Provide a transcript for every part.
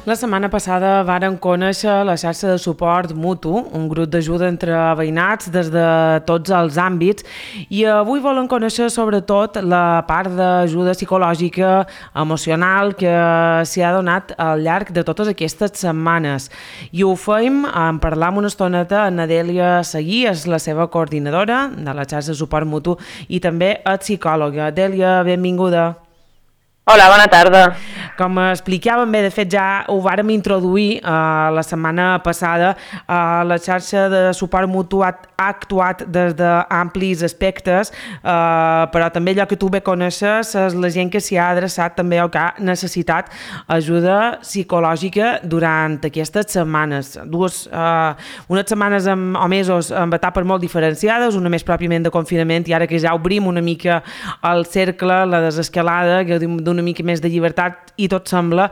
La setmana passada varen conèixer la xarxa de suport mutu, un grup d'ajuda entre veïnats des de tots els àmbits, i avui volen conèixer sobretot la part d'ajuda psicològica, emocional, que s'hi ha donat al llarg de totes aquestes setmanes. I ho fem en parlar amb una estoneta amb Adèlia Seguí, és la seva coordinadora de la xarxa de suport mutu i també és psicòloga. Adèlia, benvinguda. Hola, bona tarda. Com explicàvem bé, de fet ja ho vàrem introduir la setmana passada, la xarxa de suport mutu ha actuat des d'amplis aspectes, però també allò que tu bé coneixes és la gent que s'hi ha adreçat també o que ha necessitat ajuda psicològica durant aquestes setmanes. Unes setmanes o mesos amb etapes molt diferenciades, una més pròpiament de confinament i ara que ja obrim una mica el cercle, la desescalada, que d'una mica més de llibertat i tot sembla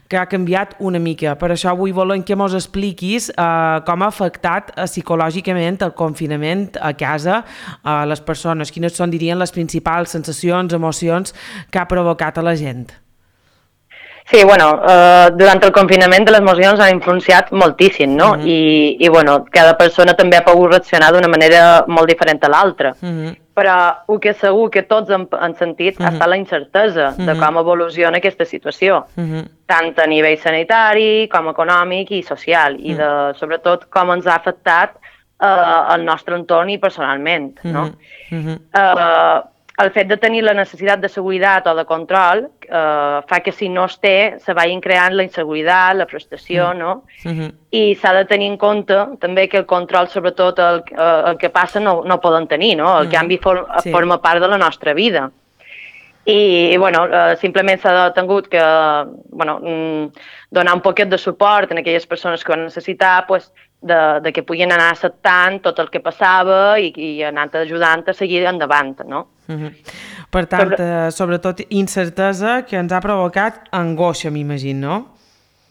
que ha canviat una mica. Per això avui volem que mos expliquis com ha afectat psicològicament el confinament a casa a les persones. Quines són, dirien, les principals sensacions, emocions que ha provocat a la gent? Sí, bueno, durant el confinament les emocions han influenciat moltíssim, no? I bueno, cada persona també ha pogut reaccionar d'una manera molt diferent a l'altra. Però el que segur que tots han sentit ha estat la incertesa de com evoluciona aquesta situació, tant a nivell sanitari com econòmic i social, i sobretot com ens ha afectat el nostre entorn i personalment, no? El fet de tenir la necessitat de seguretat o de control fa que si no es té se vagin creant la inseguretat, la frustració, no? I s'ha de tenir en compte també que el control, sobretot el que passa, no poden tenir, no? El canvi forma part de la nostra vida. I, bueno, simplement s'ha tingut que donar un poquet de suport a aquelles persones que ho han necessitat, de que puguin anar acceptant tot el que passava i anant ajudant a seguir endavant, no? Per tant, sobretot incertesa que ens ha provocat angoixa, m'imagino, no?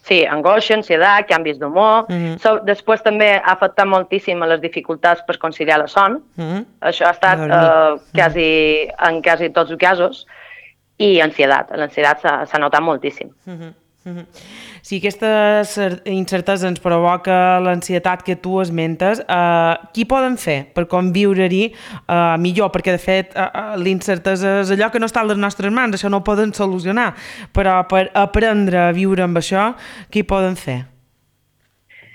Sí, angoixa, ansietat, canvis d'humor. Després també ha afectat moltíssim a les dificultats per conciliar la son. Això ha estat en quasi tots els casos. I ansietat. L'ansietat s'ha notat moltíssim. Si aquesta incertesa ens provoca l'ansietat que tu esmentes, què poden fer per conviure-hi millor? Perquè, de fet, l'incertesa és allò que no està a les nostres mans, això no ho poden solucionar, però per aprendre a viure amb això, què poden fer?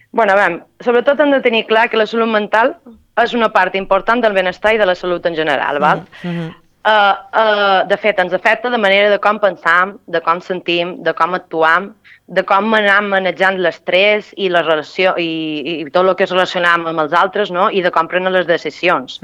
Bueno, sobretot hem de tenir clar que la salut mental és una part important del benestar i de la salut en general, val? De fet, ens afecta de manera de com pensam, de com sentim, de com actuam, de com anem manejant l'estrès i la relació i tot el que es relaciona amb els altres, no? I de com prenen les decisions.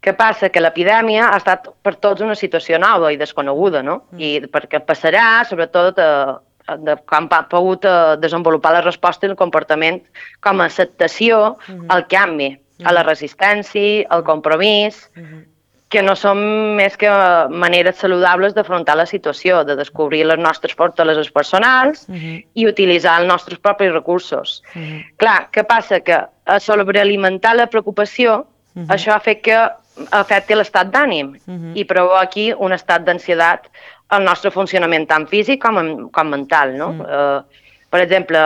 Què passa? Que l'epidèmia ha estat per tots una situació nova i desconeguda, no? I perquè passarà, sobretot, de com ha pogut desenvolupar la resposta i el comportament com a acceptació al canvi, a la resistència, al compromís, que no són més que maneres saludables d'afrontar la situació, de descobrir les nostres fortaleses personals i utilitzar els nostres propis recursos. Clar, què passa? Que a sobrealimentar la preocupació, això ha fet que afecti l'estat d'ànim i provoqui un estat d'ansietat al nostre funcionament tant físic com mental, no? Per exemple,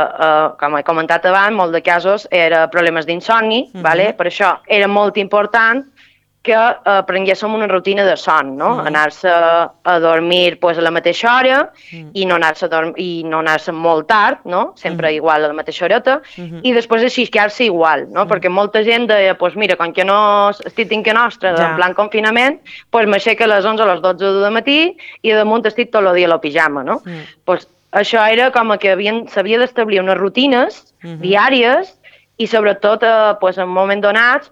com he comentat abans, molts de casos eren problemes d'insomni, per això era molt important que prenguéssim una rutina de son, no? Anar-se a dormir a la mateixa hora i no anar-se molt tard, no? Sempre igual a la mateixa horeta, i després aixiscar-se igual, no? Perquè molta gent deia, mira, com que no estic dins que nostra, en plan confinament, m'aixeco a les 11 o a les 12 del matí i damunt estic tot el dia a la pijama, no? Això era com que s'havia d'establir unes rutines diàries i sobretot en un moment donats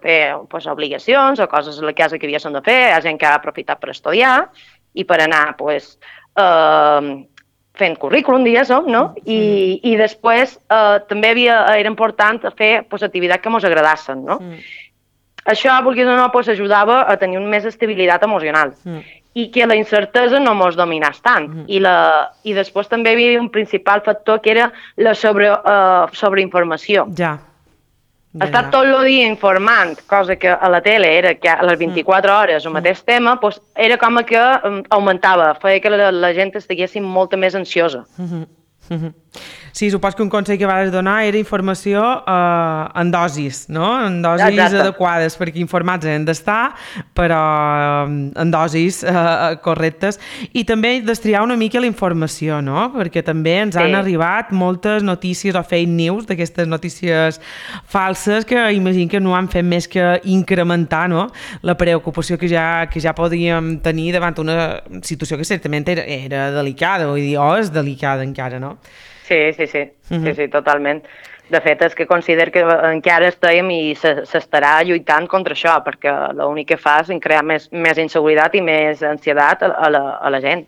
obligacions o coses a la casa que havíem de fer, hi ha gent que ha aprofitat per estudiar i per anar fent currículum, diguéssim, no? I després també era important fer activitats que ens agradassin, no? Això, vulguis o no, ajudava a tenir més estabilitat emocional i que la incertesa no ens dominés tant. I després també hi havia un principal factor que era la sobreinformació. Estar tot el dia informant, cosa que a la tele era que a les 24 hores el mateix tema, era com que augmentava, feia que la gent estigués molt més ansiosa. Sí, supos que un consell que vas donar era informació en dosis, no? En dosis adequades, perquè informats hem d'estar, però en dosis correctes. I també destriar una mica la informació, no? Perquè també ens han arribat moltes notícies o fake news d'aquestes notícies falses que imagino que no han fet més que incrementar, no?, la preocupació que ja podíem tenir davant una situació que certament era delicada, vull dir, és delicada encara, no? Sí, totalment. De fet, és que considero que encara estem i s'estarà lluitant contra això, perquè l'únic que fa és crear més inseguretat i més ansietat a la gent.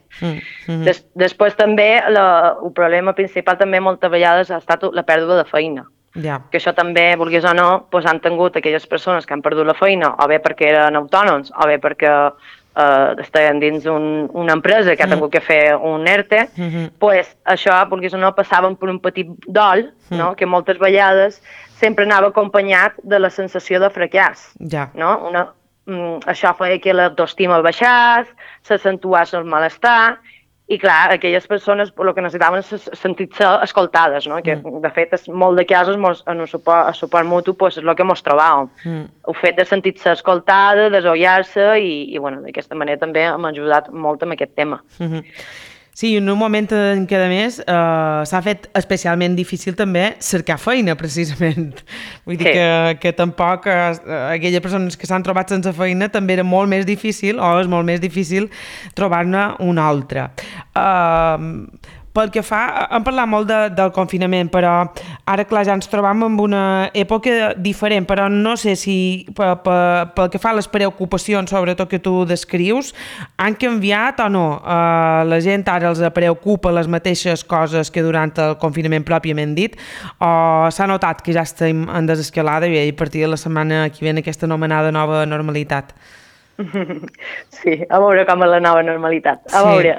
Després també, el problema principal també moltes vegades ha estat la pèrdua de feina. Que això també, vulguis o no, han tingut aquelles persones que han perdut la feina, o bé perquè eren autònoms, o bé perquè estaven dins una empresa que ha tingut que fer un ERTE, això, vulguis o no, passaven per un petit dol, que moltes vegades sempre anava acompanyat de la sensació de fracàs. Això feia que l'autoestima baixés, s'accentués el malestar, i clar, aquelles persones el que necessitaven és sentir-se escoltades, que de fet molt de casos en el suport mutu és el que ens trobàvem. El fet de sentir-se escoltada, desollar-se i d'aquesta manera també m'ha ajudat molt en aquest tema. Sí, en un moment en què, a més, s'ha fet especialment difícil també cercar feina, precisament. Vull dir que tampoc aquelles persones que s'han trobat sense feina també era molt més difícil, o és molt més difícil, trobar-ne una altra. Pel que fa, hem parlat molt del confinament, però ara, clar, ja ens trobam en una època diferent, però no sé si pel que fa a les preocupacions, sobretot que tu descrius, han canviat o no? La gent ara els preocupa les mateixes coses que durant el confinament pròpiament dit, o s'ha notat que ja estem en desescalada i a partir de la setmana que ve aquesta anomenada nova normalitat? Sí, a veure com és la nova normalitat. A veure,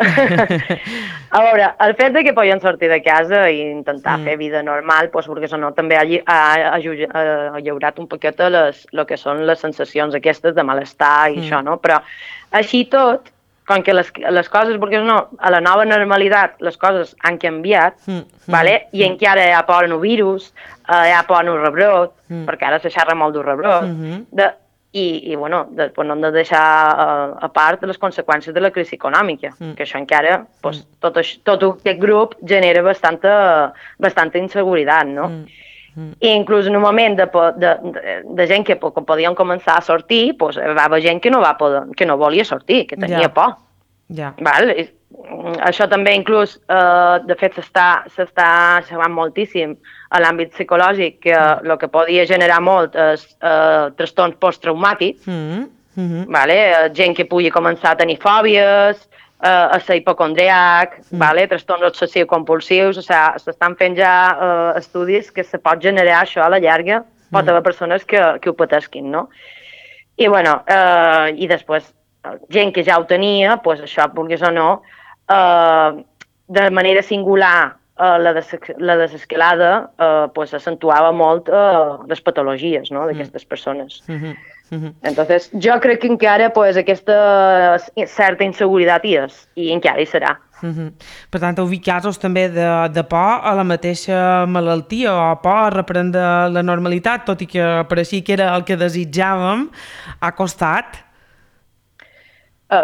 el fet que podem sortir de casa i intentar fer vida normal, perquè no, també ha lliurat un poquet el que són les sensacions aquestes de malestar i això, no? Però així tot, com que les coses, perquè no, a la nova normalitat les coses han canviat, i encara hi ha por en el virus, hi ha por en el rebrot, perquè ara se xerra molt del rebrot, i després no hem de deixar a part les conseqüències de la crisi econòmica, que això encara, tot aquest grup genera bastanta inseguretat, no? I inclús en un moment de gent que podien començar a sortir, hi va haver gent que no volia sortir, que tenia por. Això també inclús, de fet, s'està xerrant moltíssim a l'àmbit psicològic, que el que podia generar molt és trastorns posttraumàtics, gent que pugui començar a tenir fòbies, a ser hipocondriac, trastorns obsessiu-compulsius, s'estan fent ja estudis que se pot generar això a la llarga, pot haver persones que ho patesquin, no? I després, gent que ja ho tenia, això, vulguis o no, de manera singular la desescalada accentuava molt les patologies d'aquestes persones. Entonces, jo crec que encara aquesta certa inseguretat hi és, i encara hi serà. Per tant, heu vist casos també de por a la mateixa malaltia o por a reprendre la normalitat, tot i que pareixia que era el que desitjàvem, ha costat?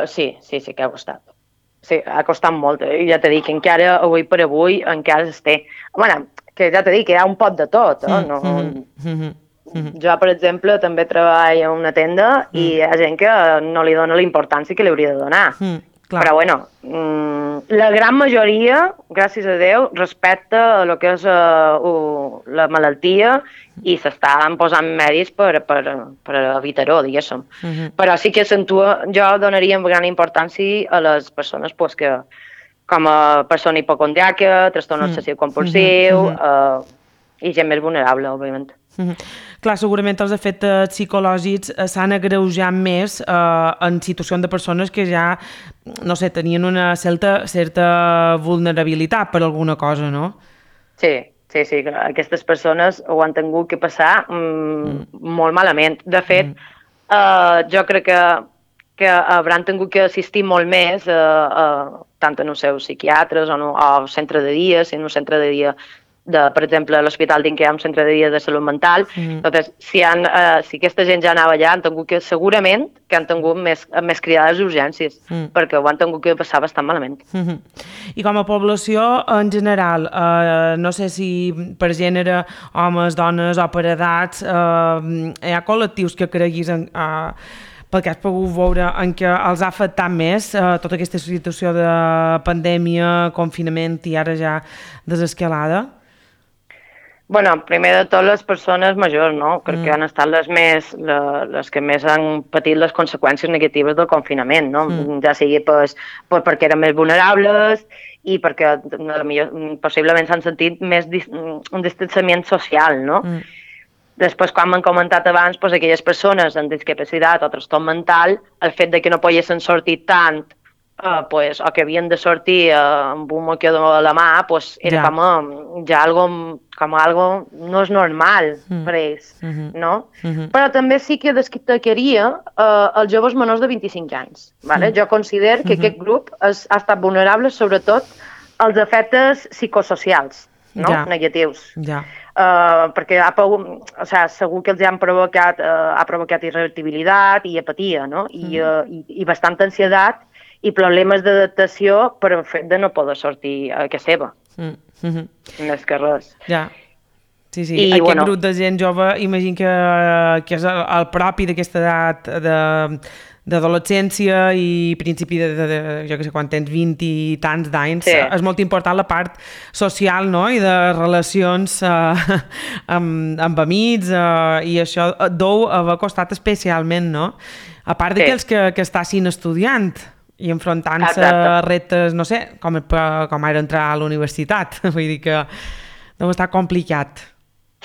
Sí que ha costat. Sí, ha costat molt. Ja t'he dit que encara, avui per avui, encara s'està. Bueno, que ja t'he dit que hi ha un pot de tot. Jo, per exemple, també treballo en una tenda i hi ha gent que no li dona la importància que li hauria de donar. Però, la gran majoria, gràcies a Déu, respecta el que és la malaltia i s'estan posant medis per evitar-ho, diguéssim. Però sí que jo donaria gran importància a les persones que, com a persona hipocondriaca, trastorn obsessiu-compulsiu i gent més vulnerable, òbviament. Clar, segurament els efectes psicològics s'han agreujat més en situacions de persones que ja, no sé, tenien una certa vulnerabilitat per alguna cosa, no? Sí, aquestes persones ho han tingut que passar molt malament. De fet, jo crec que hauran tingut que assistir molt més tant en els seus psiquiatres o centre de dia, si en un centre de dia per exemple, a l'Hospital d'Inca hi ha un centre de dia de salut mental. Entonces, si aquesta gent ja anava allà, segurament que han tingut més cridades d'urgències, perquè ho han tingut que passar bastant malament. I com a població, en general, no sé si per gènere, homes, dones o per edats, hi ha col·lectius que creguis pel que has pogut veure en què els ha afectat més tota aquesta situació de pandèmia, confinament i ara ja desescalada? Bueno, primer de tot les persones majors, no? Crec que han estat les que més han patit les conseqüències negatives del confinament, no? Ja sigui perquè eren més vulnerables i perquè possiblement s'han sentit més un distanciament social, no? Després, com hem comentat abans, aquelles persones amb discapacitat o trastorn mental, el fet de que no poguessin sortir tant o que havien de sortir amb un mocador a la mà, era com algo no és normal per ells, no? Però també sí que destacaria els joves menors de 25 anys. Jo considero que aquest grup ha estat vulnerable sobretot als efectes psicosocials negatius. Perquè segur que els ha provocat irritabilitat i apatia, no? I bastanta ansietat i problemes d'adaptació per el fet de no poder sortir a casa seva. Més que res. Ja. Sí. Aquest grup de gent jove, imagino que és el propi d'aquesta edat d'adolescència i principi jo que sé, quan tens 20 i tants d'anys, és molt important la part social, no?, i de relacions amb amics, i això deu haver costat especialment, no? A part d'aquells que estassin estudiant i enfrontant-se a reptes, no sé, com ara entrar a la universitat. Vull dir que deu estar complicat.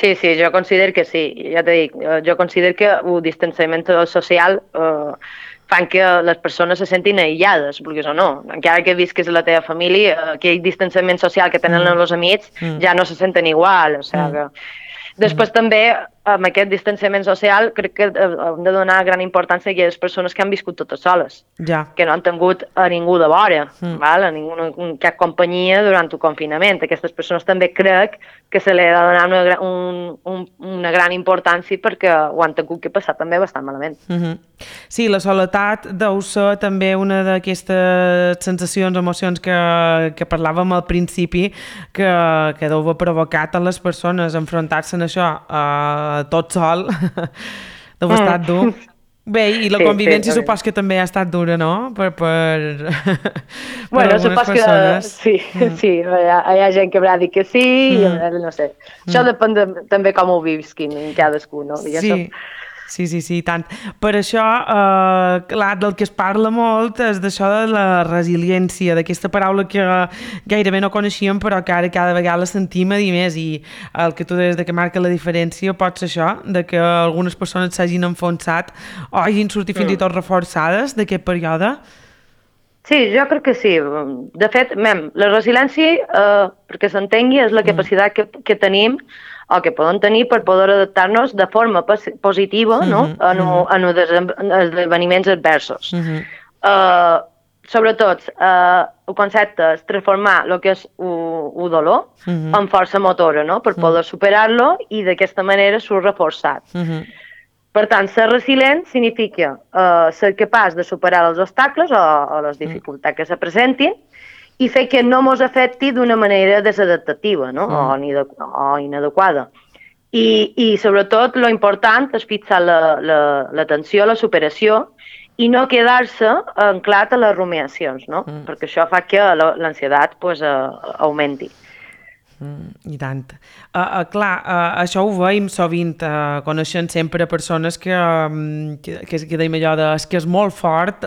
Sí, jo considero que sí. Ja t'he dit, jo considero que el distanciament social fan que les persones se sentin aïllades, vulguis o no. Encara que visquis a la teva família, aquell distanciament social que tenen els amics ja no se senten igual. Després també, amb aquest distanciament social, crec que hem de donar gran importància a aquelles persones que han viscut totes soles, que no han tingut a ningú de vora, a cap companyia durant el confinament. Aquestes persones també crec que se li ha de donar una gran importància perquè ho han tingut que passar també bastant malament. Sí, la soledat deu ser també una d'aquestes sensacions, emocions que parlàvem al principi, que deu haver provocat a les persones enfrontar-se en això tot sol. Deu haver estat dur. Bé, i la convivència supos que també ha estat dura, no? Per bueno, supos que sí, hi ha gent que haurà dit que sí, i no sé. Això depèn també com ho visquin cadascú, no? Sí, tant. Per això, clar, del que es parla molt és d'això de la resiliència, d'aquesta paraula que gairebé no coneixíem, però que ara cada vegada la sentim a dir més, i el que tu deies de que marca la diferència pot ser això, de que algunes persones s'hagin enfonsat o hagin sortit fins i tot reforçades d'aquest període. Sí, jo crec que sí. De fet, la resiliència, perquè s'entengui, és la capacitat que tenim o que podem tenir per poder adaptar-nos de forma positiva a esdeveniments adversos. Sobretot, el concepte és transformar el que és el dolor en força motora, per poder superar-lo i d'aquesta manera surt reforçat. Per tant, ser resilient significa ser capaç de superar els obstacles o les dificultats que se presentin i fer que no ens afecti d'una manera desadaptativa o inadequada. I sobretot, lo important és fixar l'atenció a la superació i no quedar-se anclat a les rumiacions, perquè això fa que l'ansietat augmenti. I tant. Clar, això ho veiem sovint, coneixent sempre persones que deim allò de que és molt fort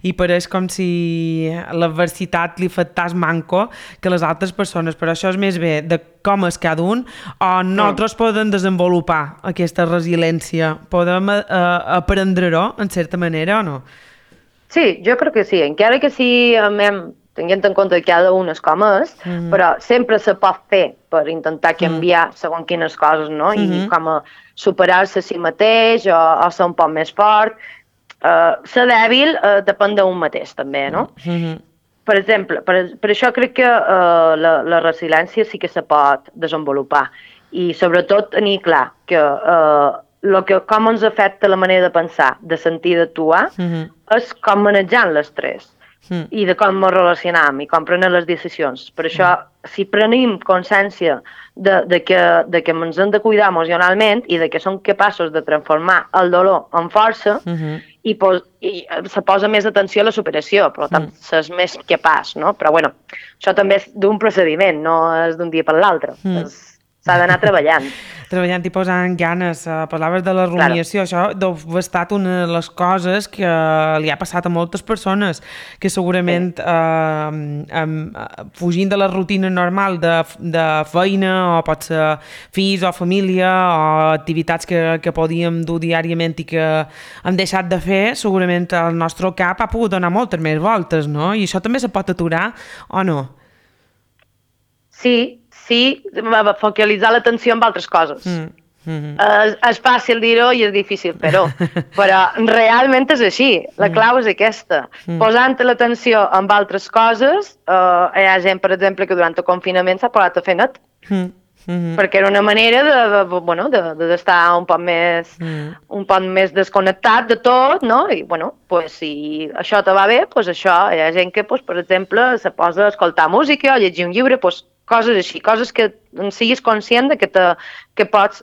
i pareix com si l'adversitat li afectés manco que les altres persones, però això és més bé de com és cada un, o nosaltres podem desenvolupar aquesta resiliència, podem aprendre-ho en certa manera o no? Sí, jo crec que sí, encara que sí, tenint en compte que cada un és com és, però sempre se pot fer per intentar canviar segons quines coses, no? I com a superar-se a si mateix o ser un poc més fort. ser dèbil depèn d'un mateix, també, no? Per exemple, per això crec que la resiliència sí que se pot desenvolupar i sobretot tenir clar que com ens afecta la manera de pensar, de sentir, d'actuar, és com manejant l'estrès i de com ens relacionam i com prenem les decisions. Per això, si prenem consciència de que ens hem de cuidar emocionalment i de que som capaços de transformar el dolor en força, i se posa més atenció a la superació, per tant, s'és més capaç, no? Però, bueno, això també és d'un procediment, no és d'un dia per l'altre. S'ha d'anar treballant. Treballant i posant ganes. Parlaves de la rumiació, això deu haver estat una de les coses que li ha passat a moltes persones, que segurament fugint de la rutina normal de feina, o pot ser fills o família, o activitats que podíem dur diàriament i que hem deixat de fer, segurament el nostre cap ha pogut donar moltes més voltes, no? I això també se pot aturar o no? Sí, focalitzar l'atenció en altres coses. És fàcil dir-ho i és difícil fer-ho, però realment és així. La clau és aquesta. Posant l'atenció en altres coses, hi ha gent, per exemple, que durant el confinament s'ha posat a fer net, perquè era una manera d'estar un poc més desconnectat de tot, no? I, bueno, pues, si això te va bé, pues això, hi ha gent que, pues, per exemple, se posa a escoltar música o llegir un llibre, pues, coses així, coses que siguis conscient de que pots...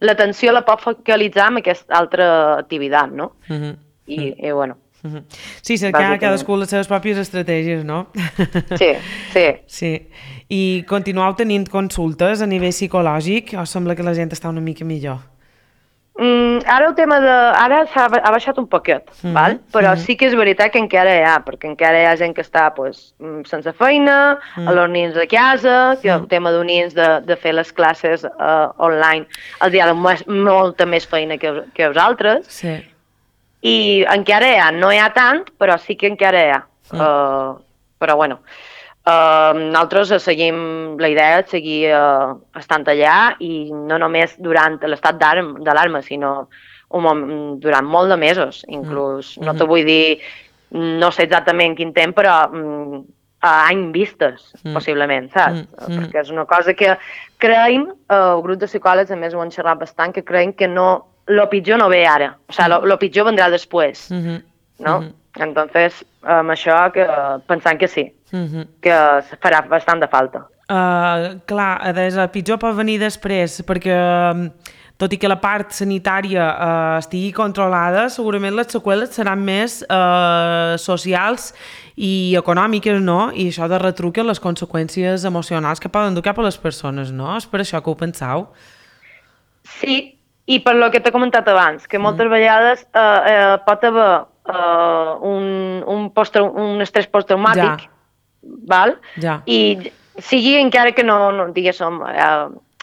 l'atenció la pots focalitzar en aquesta altra activitat, no? I bueno... Sí, cercar cadascú les seves pròpies estratègies, no? Sí. I continueu tenint consultes a nivell psicològic o sembla que la gent està una mica millor? Ara el tema ara ha baixat un poquet, val? Però sí que és veritat que encara hi ha, perquè encara hi ha gent que està sense feina, a los nins de casa, que el tema d'un nins de fer les classes online els hi ha molta més feina que els altres. Sí. I encara hi ha, no hi ha tant, però sí que encara hi ha. Però bueno, nosaltres seguim la idea de seguir estant allà i no només durant l'estat d'alarma, sinó durant molt de mesos, inclús. No te vull dir, no sé exactament quin temps, però a any vistes, possiblement, saps? Perquè és una cosa que creiem, el grup de psicòlegs, a més ho han xerrat bastant, que creiem que lo pitjor no ve ara, o sigui, lo pitjor vendrà després, no? Entonces, amb això pensant que sí, que farà bastant de falta. Clar, el pitjor pot venir després, perquè tot i que la part sanitària estigui controlada, segurament les seqüeles seran més socials i econòmiques, no? I això de retruque les conseqüències emocionals que poden dur cap a les persones, no? És per això que ho penseu? Sí, i per lo que t'he comentat abans, que moltes vegades pot haver un estrès posttraumàtic, val? I sigui encara que no diguéssim,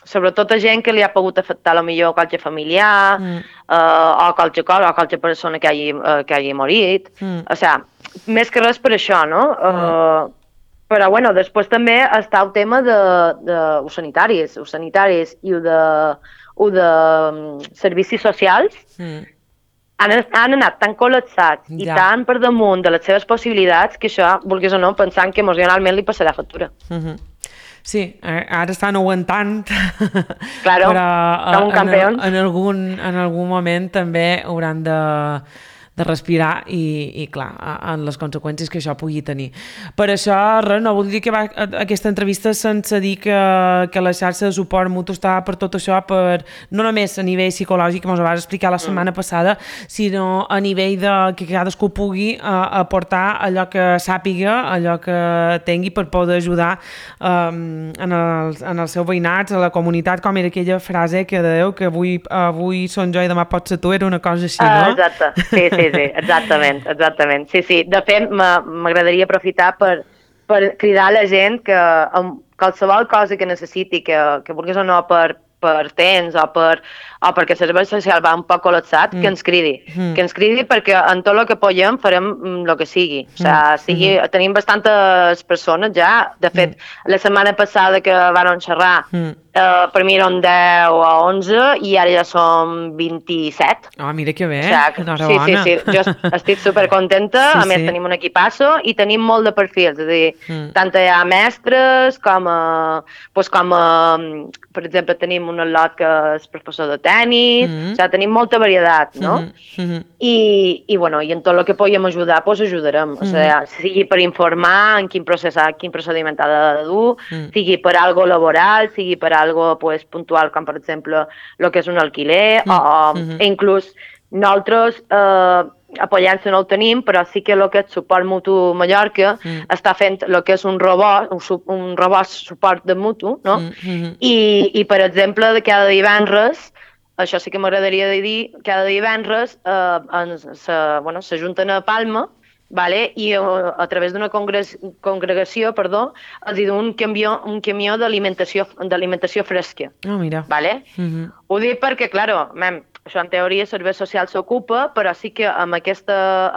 sobretot a gent que li ha pogut afectar potser qualque familiar o qualque persona que hagi morit. O sigui, més que res per això, no? Però, bueno, després també està el tema de sanitaris i de servicis socials. Han anat tan col·lapsats i tan per damunt de les seves possibilitats que això, vulguis o no, pensant que emocionalment li passarà factura. Sí, ara estan aguantant, claro, però com un campió. En algun moment també hauran de respirar i clar, en les conseqüències que això pugui tenir. Per això, res, no vull dir que aquesta entrevista sense dir que la xarxa de suport mutu està per tot això, no només a nivell psicològic, com us vas explicar la setmana passada, sinó a nivell de que cadascú pugui aportar allò que sàpiga, allò que tingui per poder ajudar en els seus veïnats, a la comunitat, com era aquella frase que dèieu, que avui són jo i demà pots ser tu, era una cosa així, no? Exacte, sí, exactament. Sí, de fet, m'agradaria aprofitar per cridar a la gent que amb qualsevol cosa que necessiti, que vulguis o no per per temps o perquè el servei social va un poc col·lapsat, que ens cridi. Que ens cridi perquè en tot el que podem farem el que sigui. O sigui, tenim bastantes persones ja. De fet, la setmana passada que van xerrar, per mi eren 10 o 11 i ara ja som 27. Ah, mira que bé, enhorabona. Sí. Jo estic supercontenta, a més tenim un equipasso i tenim molt de perfils, és a dir, tant hi ha mestres com per exemple, tenim un al·lot que és professor de tenis, o sigui, tenim molta varietat, no? I en tot el que podem ajudar, doncs ajudarem. O sigui, sigui per informar en quin procediment ha de dur, sigui per algo laboral, sigui per algo puntual, com per exemple el que és un alquiler, o inclús nosaltres a Pollença no el tenim, però sí que el que és Suport Mutu Mallorca està fent el que és un robot suport de mutu, no? I per exemple, cada divendres, això sí que m'agradaria dir, cada divendres s'ajunten a Palma, vale? I a través d'una congregació, els diu un camió d'alimentació fresca. Ah, mira. Vale? Ho dic perquè, clar, això en teoria el servei social s'ocupa, però sí que amb aquesta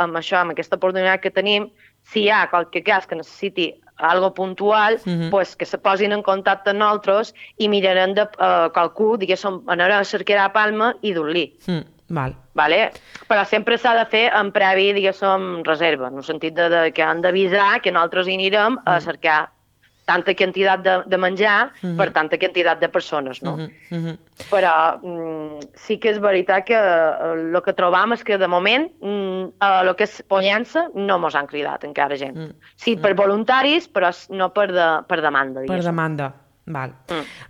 oportunitat que tenim, si hi ha qualque cas que necessiti algo puntual, pues que se posin en contacte amb nosaltres i mirarem de qualcú, diguéssim, anar a cercar a Palma i dur-li. Vale? Però sempre s'ha de fer en previ, diguéssim, reserva, en el sentit que han d'avisar que nosaltres hi anirem a cercar tanta quantitat de menjar per tanta quantitat de persones, no? Però sí que és veritat que el que trobam és que de moment el que és Pollença no mos han cridat encara gent. Sí, per voluntaris, però no per demanda. Per demanda, val.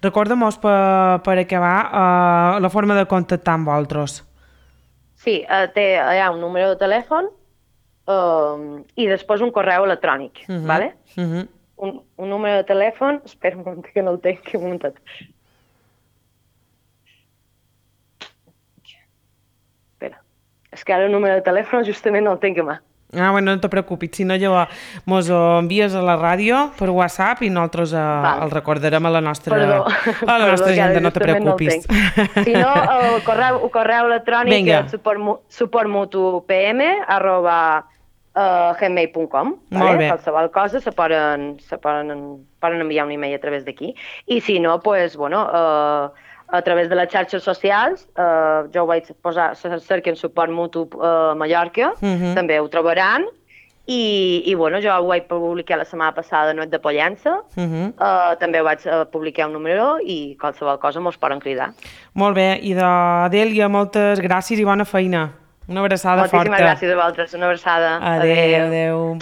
Recorda-mos per acabar la forma de contactar amb vosaltres. Sí, hi ha un número de telèfon i després un correu electrònic, vale? Un número de telèfon, espera un moment que no el tinc, un momentet. Espera, és que ara el número de telèfon justament no el tinc a mà. Ah, bueno, no te preocupis, si no llavors mos envies a la ràdio per WhatsApp i nosaltres el recordarem a la nostra agenda, no te preocupis. Si no, el correu electrònic és suportmutupm@gmail.com. Qualsevol cosa se poden enviar un email a través d'aquí. I si no, doncs, a través de les xarxes socials, jo ho vaig posar, cerquen Suport Mutu Mallorca, també ho trobaran, i jo ho vaig publicar la setmana passada a Noet de Pollença, també ho vaig publicar un número i qualsevol cosa mos poden cridar. Molt bé, i d'Adèlia, moltes gràcies i bona feina. Una abraçada forta. Moltíssimes gràcies a vosaltres, una abraçada. Adéu.